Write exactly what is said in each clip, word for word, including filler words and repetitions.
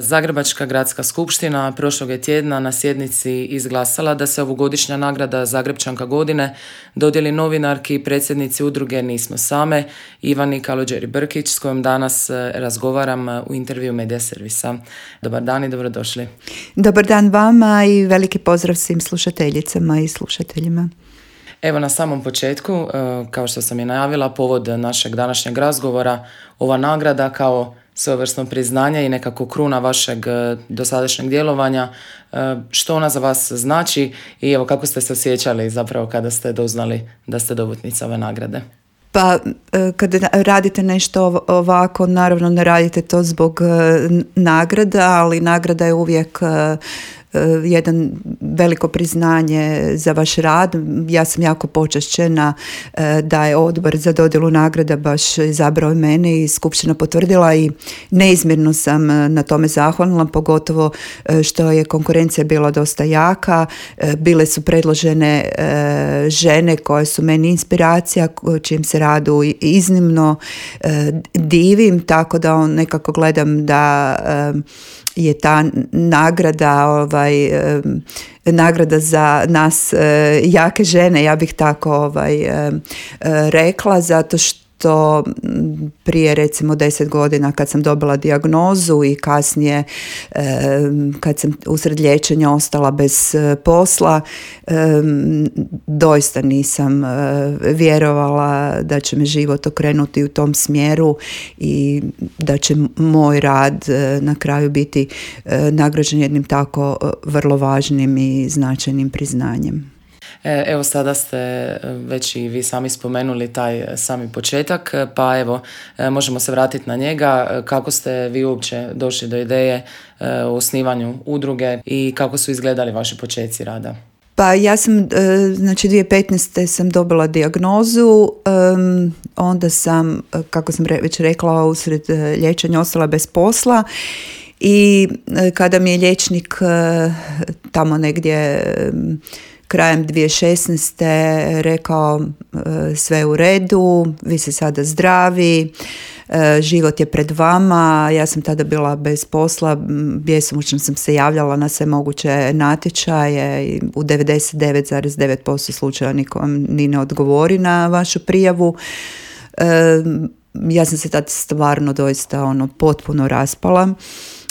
Zagrebačka gradska skupština prošlog je tjedna na sjednici izglasala da se ovogodišnja nagrada Zagrebčanka godine dodijeli novinarki i predsjednici udruge Nismo same, Ivani Kalođeri-Brkić, s kojom danas razgovaram u intervju Medija servisa. Dobar dan i dobrodošli. Dobar dan vama i veliki pozdrav svim slušateljicama i slušateljima. Evo, na samom početku, kao što sam i najavila, povod našeg današnjeg razgovora, ova nagrada kao svojevrsno priznanje i nekako kruna vašeg dosadašnjeg djelovanja. Što ona za vas znači i evo kako ste se osjećali zapravo kada ste doznali da ste dobitnica ove nagrade? Pa kada radite nešto ovako, naravno ne radite to zbog nagrada, ali nagrada je uvijek jedan veliko priznanje za vaš rad. Ja sam jako počašćena da je odbor za dodjelu nagrada baš izabrao mene i skupština potvrdila i neizmjerno sam na tome zahvalna, pogotovo što je konkurencija bila dosta jaka. Bile su predložene žene koje su meni inspiracija, čijem se radu iznimno divim, tako da on nekako gledam da je ta nagrada ovaj, nagrada za nas jake žene, ja bih tako ovaj, rekla, zato što to prije recimo deset godina kad sam dobila dijagnozu i kasnije kad sam usred liječenja ostala bez posla, doista nisam vjerovala da će me život okrenuti u tom smjeru i da će moj rad na kraju biti nagrađen jednim tako vrlo važnim i značajnim priznanjem. Evo, sada ste već i vi sami spomenuli taj sami početak, pa evo, možemo se vratiti na njega. Kako ste vi uopće došli do ideje o osnivanju udruge i kako su izgledali vaši počeci rada? Pa ja sam, znači dvije tisuće petnaeste sam dobila dijagnozu, onda sam, kako sam već rekla, usred liječenja ostala bez posla. I kada mi je liječnik tamo negdje krajem dvije tisuće šesnaeste rekao sve u redu, vi ste sada zdravi, život je pred vama. Ja sam tada bila bez posla, bjesomučno sam se javljala na sve moguće natječaje i u devedeset devet zarez devet posto slučajeva niko vam ni ne odgovori na vašu prijavu. Ja sam se tada stvarno doista ono potpuno raspala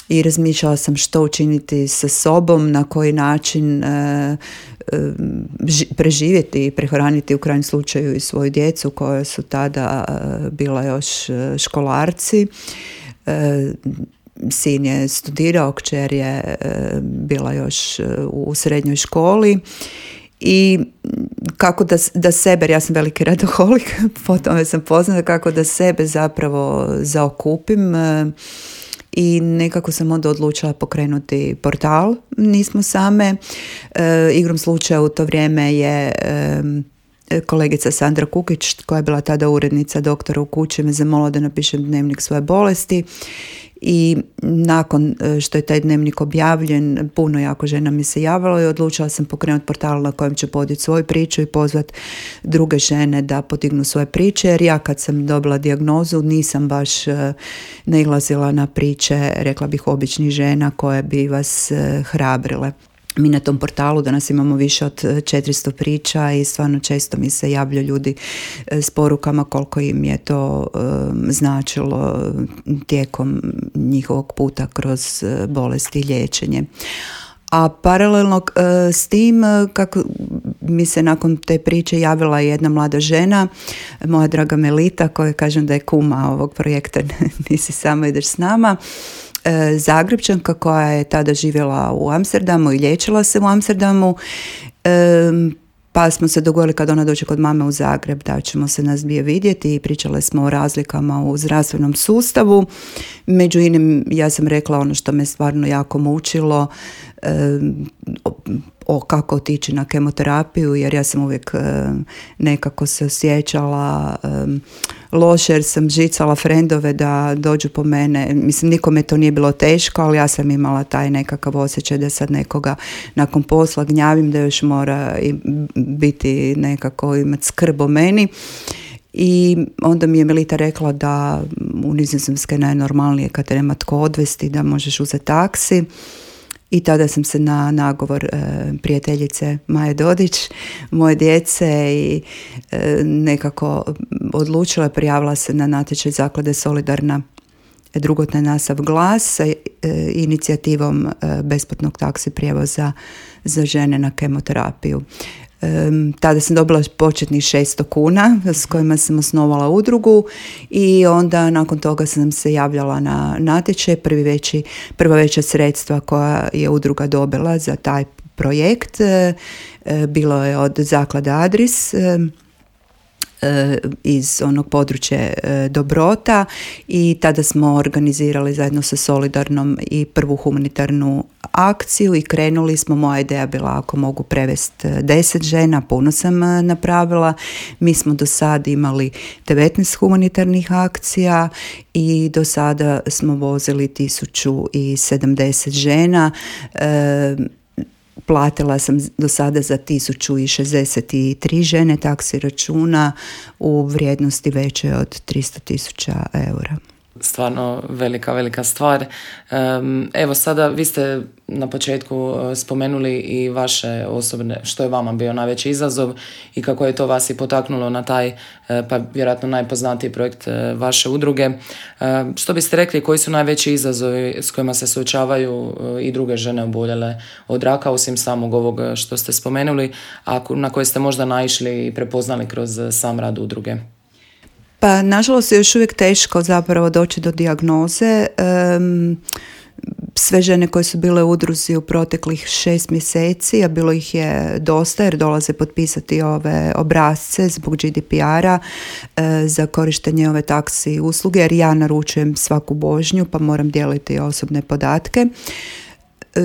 i razmišljala sam što učiniti sa sobom, na koji način e, e, preživjeti i prehraniti u krajnjem slučaju i svoju djecu koja su tada e, bila još školarci. E, sin je studirao, kćer je e, bila još u srednjoj školi. I kako da, da sebe, jer ja sam veliki radoholik, po tome sam poznata, kako da sebe zapravo zaokupim. E, I nekako sam onda odlučila pokrenuti portal Nismo same. E, igrom slučaja u to vrijeme je e, kolegica Sandra Kukić, koja je bila tada urednica Doktora u kući, me zamolila da napišem dnevnik svoje bolesti. I nakon što je taj dnevnik objavljen, puno jako žena mi se javilo i odlučila sam pokrenuti portal na kojem ću podijeti svoju priču i pozvati druge žene da podignu svoje priče, jer ja kad sam dobila dijagnozu nisam baš nailazila na priče, rekla bih, običnih žena koje bi vas hrabrile. Mi na tom portalu danas imamo više od četiristo priča i stvarno često mi se javljaju ljudi s porukama koliko im je to um, značilo tijekom njihovog puta kroz bolesti i liječenje. A paralelno uh, s tim, kako mi se nakon te priče javila jedna mlada žena, moja draga Melita, koja kažem da je kuma ovog projekta Nisi sama, ideš s nama, Zagrebčanka koja je tada živjela u Amsterdamu i liječila se u Amsterdamu, pa smo se dogovorili kad ona dođe kod mame u Zagreb da ćemo se nas dvije vidjeti i pričale smo o razlikama u zdravstvenom sustavu. Među inim ja sam rekla ono što me stvarno jako mučilo, o kako otići na kemoterapiju, jer ja sam uvijek nekako se osjećala loše, jer sam žicala frendove da dođu po mene. Mislim, nikome to nije bilo teško, ali ja sam imala taj nekakav osjećaj da sad nekoga nakon posla gnjavim, da još mora biti nekako imati skrb o meni. I onda mi je Melita rekla da u Nizozemskoj je najnormalnije kad te nema tko odvesti, da možeš uzeti taksi. I tada sam se na nagovor e, prijateljice Maje Dodić, moje djece i e, nekako odlučila, prijavila se na natječaj Zaklade Solidarna drugotni nasav glas sa e, inicijativom e, besplatnog taksi prijevoza za žene na kemoterapiju. Um, tada sam dobila početnih šesto kuna s kojima sam osnovala udrugu i onda nakon toga sam se javljala na natječaj. Prvi veći, prva veća sredstva koja je udruga dobila za taj projekt e, e, bilo je od zaklade Adris e, iz onog područja Dobrota i tada smo organizirali zajedno sa Solidarnom i prvu humanitarnu akciju i krenuli smo. Moja ideja bila ako mogu prevesti deset žena, puno sam napravila. Mi smo do sada imali devetnaest humanitarnih akcija i do sada smo vozili tisuću sedamdeset žena. E, Platila sam do sada za tisuću šezdeset tri žene taksi računa u vrijednosti veće od tristo tisuća eura. Stvarno velika, velika stvar. Evo sada, vi ste na početku spomenuli i vaše osobne, što je vama bio najveći izazov i kako je to vas i potaknulo na taj, pa vjerojatno najpoznatiji projekt vaše udruge. Što biste rekli, koji su najveći izazovi s kojima se suočavaju i druge žene oboljele od raka, osim samog ovog što ste spomenuli, a na koje ste možda naišli i prepoznali kroz sam rad udruge? Pa nažalost je još uvijek teško zapravo doći do dijagnoze. Um, sve žene koje su bile u udruzi u proteklih šest mjeseci, a bilo ih je dosta jer dolaze potpisati ove obrasce zbog G D P R-a uh, za korištenje ove taksi usluge, jer ja naručujem svaku vožnju pa moram dijeliti osobne podatke,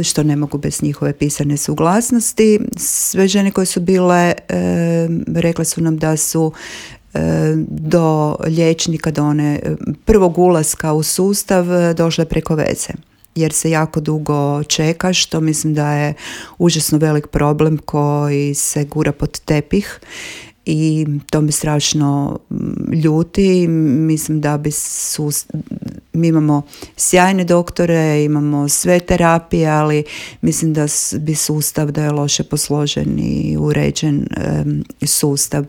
što ne mogu bez njihove pisane suglasnosti. Sve žene koje su bile, um, rekle su nam da su do liječnika, do one prvog ulaska u sustav došle preko veze, jer se jako dugo čeka, što mislim da je užasno velik problem koji se gura pod tepih i to me strašno ljuti. Mislim da bi sus... mi imamo sjajne doktore, imamo sve terapije, ali mislim da bi sustav, da je loše posložen i uređen um, sustav.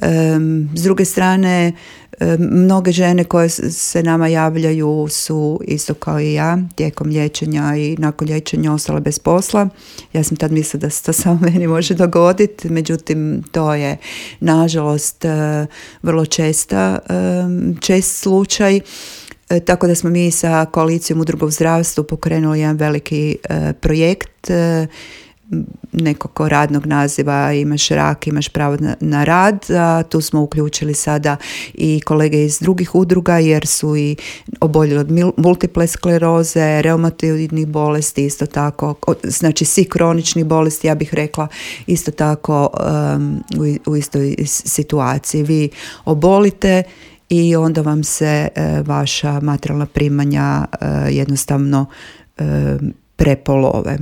Um, s druge strane, um, mnoge žene koje se nama javljaju su isto kao i ja tijekom liječenja i nakon liječenja ostale bez posla. Ja sam tad mislila da se to samo meni može dogoditi, međutim to je nažalost uh, vrlo česta, um, čest slučaj. E, tako da smo mi sa koalicijom udruga u zdravstvu pokrenuli jedan veliki e, projekt e, nekog radnog naziva Imaš rak, imaš pravo na, na rad. A tu smo uključili sada i kolege iz drugih udruga jer su i oboljeli od multiple skleroze, reumatoidnih bolesti, isto tako, znači svi kroničnih bolesti, ja bih rekla isto tako um, u, u istoj situaciji. Vi obolite i onda vam se e, vaša materijalna primanja e, jednostavno e, prepolove.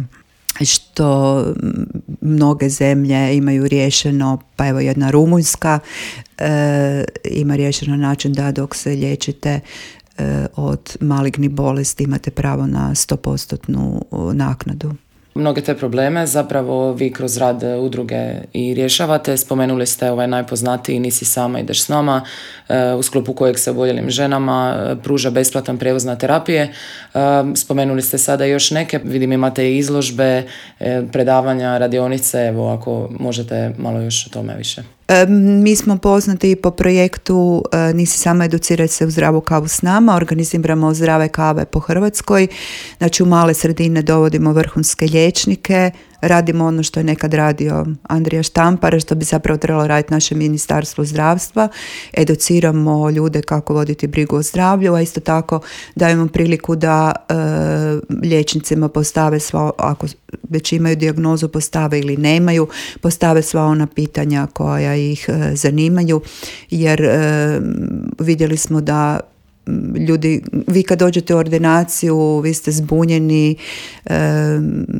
Što mnoge zemlje imaju riješeno, pa evo jedna Rumunjska e, ima riješeno način da dok se liječite e, od malignih bolesti imate pravo na sto posto naknadu. Mnoge te probleme zapravo vi kroz rad udruge i rješavate. Spomenuli ste ovaj najpoznatiji Nisi sama, ideš s nama, u sklopu kojeg se oboljelim ženama pruža besplatan prijevoz na terapije. Spomenuli ste sada još neke, vidim imate i izložbe, predavanja, radionice, evo ako možete malo još o tome više. Mi smo poznati po projektu Nisi sama, educiraj se u zdravu kavu s nama. Organiziramo zdrave kave po Hrvatskoj. Znači u male sredine dovodimo vrhunske liječnike, radimo ono što je nekad radio Andrija Štampar, što bi zapravo trebalo raditi naše ministarstvo zdravstva. Educiramo ljude kako voditi brigu o zdravlju, a isto tako dajemo priliku da e, liječnicima postave sva, ako već imaju dijagnozu, postave ili nemaju, postave sva ona pitanja koja ih e, zanimaju, jer e, vidjeli smo da ljudi, vi kad dođete u ordinaciju, vi ste zbunjeni,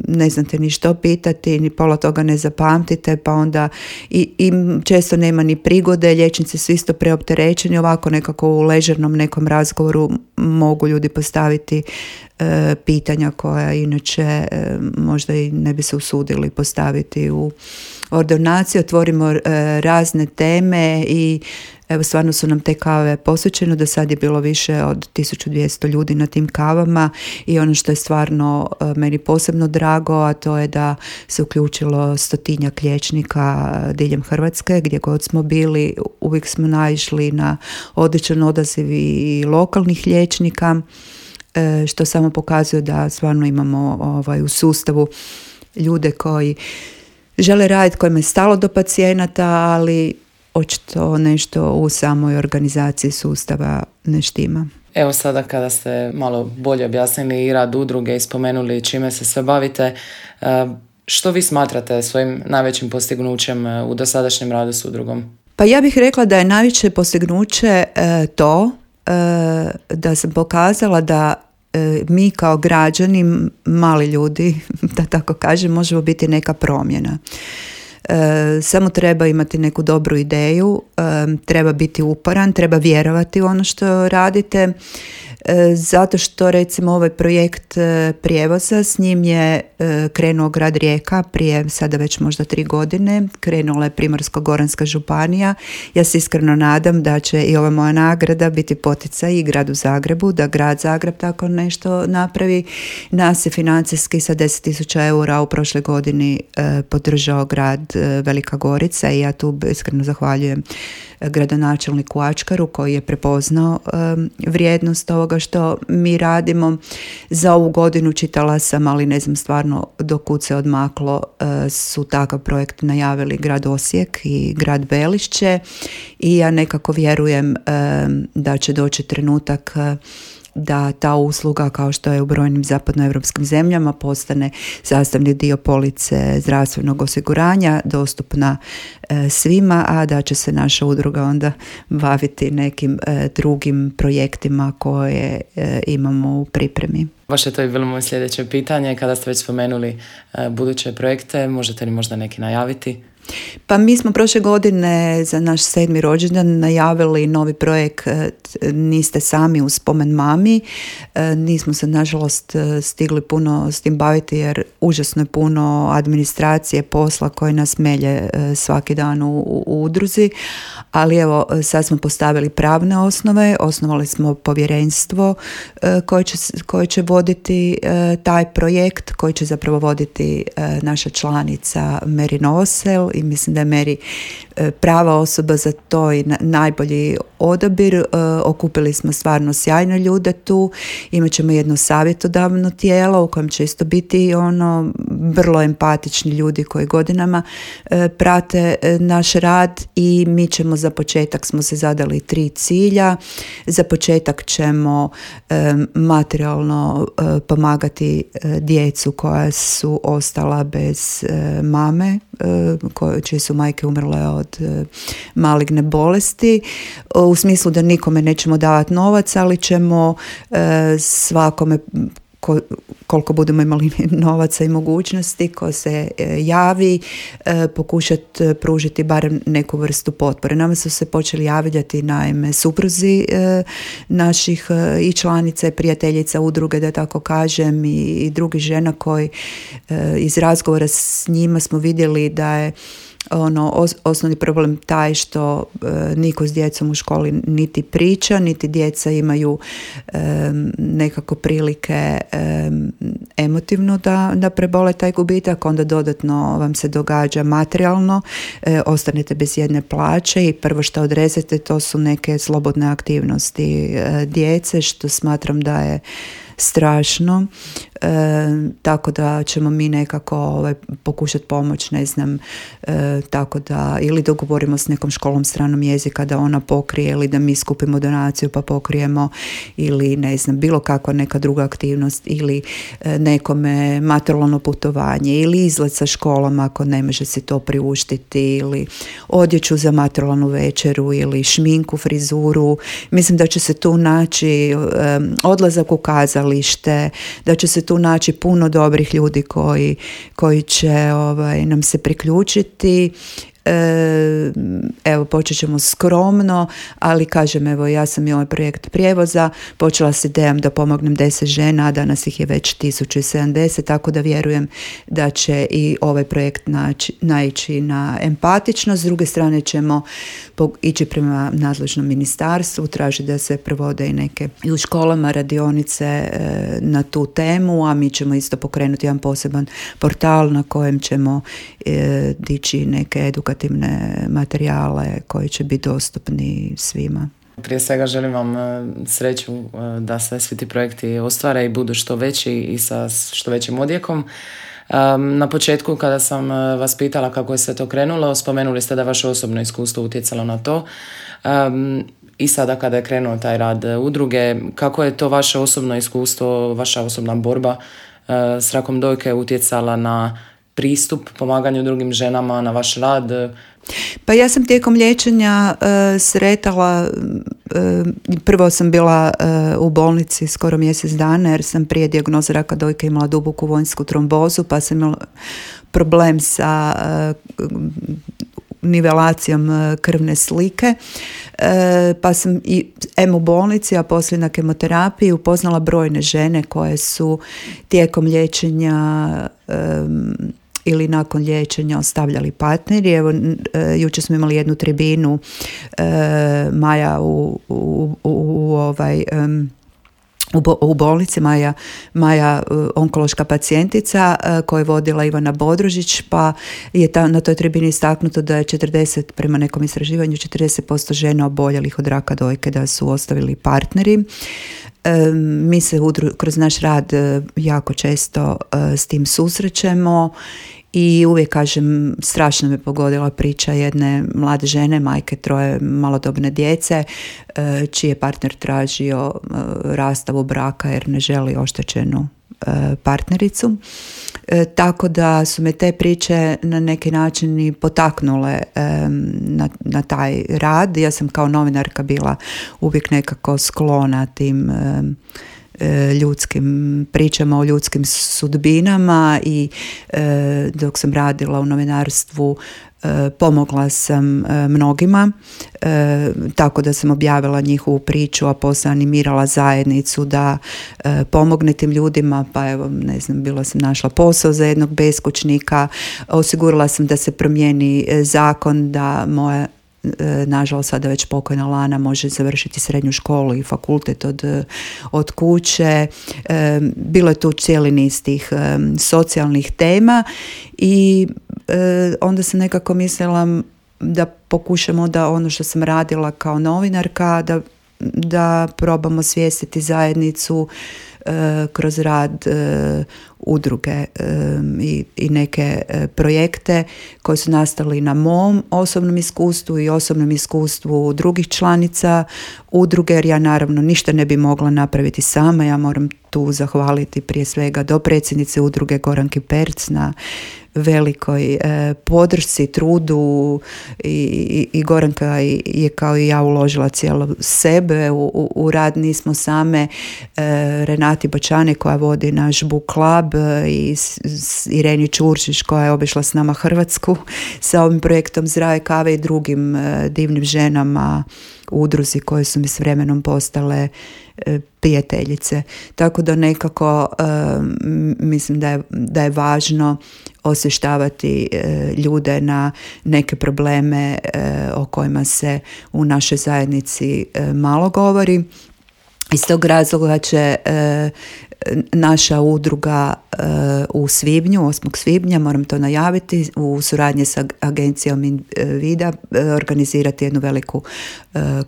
ne znate ni što pitati, ni pola toga ne zapamtite, pa onda i, i često nema ni prigode, liječnici su isto preopterećeni, ovako nekako u ležernom nekom razgovoru mogu ljudi postaviti e, pitanja koja inače e, možda i ne bi se usudili postaviti u ordinaciji. Otvorimo e, razne teme i evo, stvarno su nam te kave posvećene, do sad je bilo više od tisuću dvjesto ljudi na tim kavama i ono što je stvarno meni posebno drago, a to je da se uključilo stotinjak liječnika diljem Hrvatske, gdje god smo bili, uvijek smo naišli na odličan odaziv i lokalnih liječnika, što samo pokazuje da stvarno imamo ovaj, u sustavu ljude koji žele raditi, kojima je stalo do pacijenata, ali očito nešto u samoj organizaciji sustava ne štima. Evo sada kada ste malo bolje objasnili i rad udruge i spomenuli čime se sve bavite, što vi smatrate svojim najvećim postignućem u dosadašnjem radu s udrugom? Pa ja bih rekla da je najveće postignuće e, to e, da sam pokazala da e, mi kao građani, mali ljudi, da tako kažem, možemo biti neka promjena. E, samo treba imati neku dobru ideju, e, treba biti uporan, treba vjerovati u ono što radite, e, zato što recimo ovaj projekt e, prijevoza, s njim je e, krenuo grad Rijeka prije sada već možda tri godine, krenula je Primorsko-goranska županija. Ja se iskreno nadam da će i ova moja nagrada biti poticaj i gradu Zagrebu, da grad Zagreb tako nešto napravi. Nas je financijski sa deset tisuća eura u prošloj godini e, podržao grad Velika Gorica i ja tu iskreno zahvaljujem gradonačelniku Ačkaru koji je prepoznao um, vrijednost ovoga što mi radimo. Za ovu godinu čitala sam, ali ne znam stvarno do kud se odmaklo, uh, su takav projekt najavili grad Osijek i grad Belišće i ja nekako vjerujem um, da će doći trenutak uh, da ta usluga, kao što je u brojnim zapadnoevropskim zemljama, postane sastavni dio police zdravstvenog osiguranja, dostupna e, svima, a da će se naša udruga onda baviti nekim e, drugim projektima koje e, imamo u pripremi. Baš je to i bilo moje sljedeće pitanje. Kada ste već spomenuli e, buduće projekte, možete li možda neki najaviti? Pa mi smo prošle godine za naš sedmi rođendan najavili novi projekt Niste sami u spomen mami. Nismo se nažalost stigli puno s tim baviti jer užasno je puno administracije, posla koji nas melje svaki dan u, u udruzi, ali evo sad smo postavili pravne osnove, osnovali smo povjerenstvo koje će, koje će voditi taj projekt, koji će zapravo voditi naša članica Mary Novosel i mislim da je Mary prava osoba za to i najbolji odabir. Okupili smo stvarno sjajne ljude tu, imat ćemo jedno savjetodavno tijelo u kojem će isto biti ono vrlo empatični ljudi koji godinama prate naš rad i mi ćemo za početak smo se zadali tri cilja. Za početak ćemo materijalno pomagati djecu koja su ostala bez mame, čije su majke umrle od maligne bolesti, u smislu da nikome nećemo davati novac, ali ćemo svakome koliko budemo imali novaca i mogućnosti, ko se javi, pokušati pružiti barem neku vrstu potpore. Nama su se počeli javljati naime supruzi naših i članica i prijateljica udruge, da tako kažem, i drugih žena koji iz razgovora s njima smo vidjeli da je ono os- osnovni problem taj što e, niko s djecom u školi niti priča, niti djeca imaju e, nekako prilike e, emotivno da, da prebole taj gubitak, onda dodatno vam se događa materijalno, e, ostanete bez jedne plaće i prvo što odrezete to su neke slobodne aktivnosti e, djece, što smatram da je strašno. E, tako da ćemo mi nekako ovaj, pokušati pomoć, ne znam, e, tako da ili dogovorimo s nekom školom stranom jezika da ona pokrije, ili da mi skupimo donaciju pa pokrijemo, ili ne znam, bilo kakva neka druga aktivnost, ili e, nekome materijalno putovanje, ili izlet sa školom ako ne može si to priuštiti, ili odjeću za materijalnu večeru, ili šminku, frizuru. Mislim da će se tu naći e, odlazak u kazalište, da će se tu naći puno dobrih ljudi koji, koji će ovaj, nam se priključiti. E, evo, počet ćemo skromno, ali kažem, evo, ja sam i ovaj projekt prijevoza počela s idejom da pomognem deset žena, a danas ih je već tisuću sedamdeset, tako da vjerujem da će i ovaj projekt naći, naići na empatičnost. S druge strane ćemo ići prema nadležnom ministarstvu, traži da se provode i neke i u školama radionice e, na tu temu, a mi ćemo isto pokrenuti jedan poseban portal na kojem ćemo e, dići neke edukativne materijale koji će biti dostupni svima. Prije svega želim vam sreću da se svi ti projekti ostvare i budu što veći i sa što većim odjekom. Na početku kada sam vas pitala kako je sve to krenulo, spomenuli ste da vaše osobno iskustvo utjecalo na to. I sada kada je krenuo taj rad udruge, kako je to vaše osobno iskustvo, vaša osobna borba s rakom dojke utjecala na pristup pomaganju drugim ženama, na vaš rad? Pa ja sam tijekom liječenja uh, sretala, uh, prvo sam bila uh, u bolnici skoro mjesec dana jer sam prije dijagnoze raka dojke imala duboku vojnsku trombozu, pa sam imala problem sa uh, nivelacijom uh, krvne slike, uh, pa sam i em u bolnici, a poslije na kemoterapiji upoznala brojne žene koje su tijekom liječenja um, ili nakon liječenja ostavljali partneri. Evo, e, jučer smo imali jednu tribinu e, Maja u, u, u, u ovaj... Um, U, bo, u bolnici Maja, Maja onkološka pacijentica koju je vodila Ivana Bodrožić, pa je ta, na toj tribini istaknuto da je četrdeset, prema nekom istraživanju, četrdeset posto žena oboljelih od raka dojke da su ostavili partneri. E, mi se udru, kroz naš rad jako često e, s tim susrećemo i uvijek kažem, strašno me pogodila priča jedne mlade žene, majke troje malodobne djece, čiji je partner tražio rastavu braka jer ne želi oštećenu partnericu. Tako da su me te priče na neki način i potaknule na, na taj rad. Ja sam kao novinarka bila uvijek nekako sklona tim ljudskim pričama o ljudskim sudbinama i e, dok sam radila u novinarstvu e, pomogla sam e, mnogima, e, tako da sam objavila njihovu priču, a poslije animirala zajednicu da e, pomogne tim ljudima, pa evo, ne znam, bila sam našla posao za jednog beskućnika, osigurala sam da se promijeni zakon da moja nažalost sada već pokojna Lana može završiti srednju školu i fakultet od, od kuće. E, bilo je tu cijeli niz tih e, socijalnih tema i e, onda sam nekako mislila da pokušamo da ono što sam radila kao novinarka, da, da probamo svijestiti zajednicu e, kroz rad e, udruge e, i, i neke e, projekte koji su nastali na mom osobnom iskustvu i osobnom iskustvu drugih članica udruge, jer ja naravno ništa ne bi mogla napraviti sama. Ja moram tu zahvaliti prije svega dopredsjednice udruge Goranki Perc na velikoj e, podršci, trudu i, i, i Goranka je kao i ja uložila cijelo sebe u, u, u rad. Nismo same. e, Renati Bočani koja vodi naš book club i s, s Ireni Čurčić koja je obišla s nama Hrvatsku sa ovim projektom Zdrave kave i drugim e, divnim ženama u udruzi koje su mi s vremenom postale e, prijateljice. Tako da nekako e, mislim da je, da je važno osvještavati e, ljude na neke probleme e, o kojima se u našoj zajednici e, malo govori. Iz tog razloga će e, naša udruga u svibnju, osmog svibnja, moram to najaviti, u suradnji sa agencijom Invida organizirati jednu veliku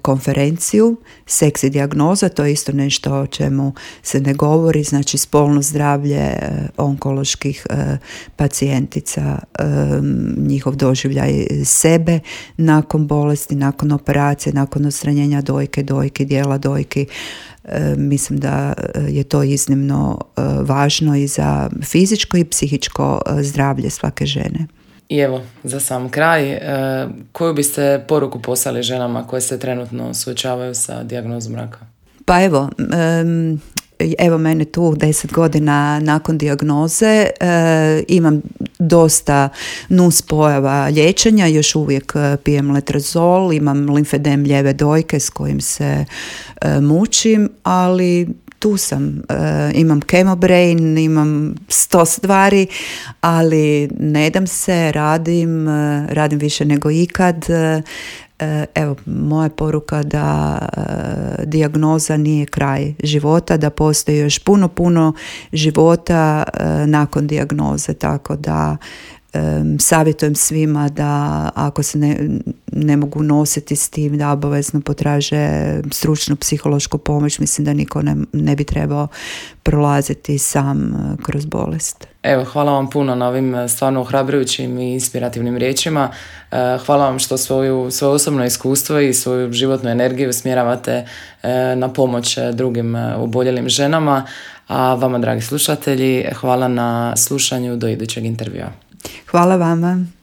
konferenciju Seks i dijagnoza. To je isto nešto o čemu se ne govori, znači spolno zdravlje onkoloških pacijentica, njihov doživljaj sebe nakon bolesti, nakon operacije, nakon odstranjenja dojke, dojki, dijela dojki. E, mislim da je to iznimno e, važno i za fizičko i psihičko e, zdravlje svake žene. I evo, za sam kraj, e, koju biste poruku poslali ženama koje se trenutno suočavaju sa dijagnozom raka? Pa evo, e, Evo mene tu deset godina nakon dijagnoze, e, imam dosta nuspojava liječenja, još uvijek pijem letrozol, imam limfedem lijeve dojke s kojim se e, mučim, ali tu sam, e, imam chemobrain, imam sto stvari, ali ne dam se, radim, e, radim više nego ikad. E, Evo, moja poruka da e, dijagnoza nije kraj života, da postoji još puno, puno života e, nakon dijagnoze, tako da e, savjetujem svima da ako se ne, ne mogu nositi s tim, da obavezno potraže stručnu psihološku pomoć. Mislim da niko ne, ne bi trebao prolaziti sam kroz bolest. Evo, hvala vam puno na ovim stvarno ohrabrujućim i inspirativnim riječima. Hvala vam što svoju, svoje osobno iskustvo i svoju životnu energiju usmjeravate na pomoć drugim oboljelim ženama. A vama, dragi slušatelji, hvala na slušanju, do idućeg intervjua. Hvala vama.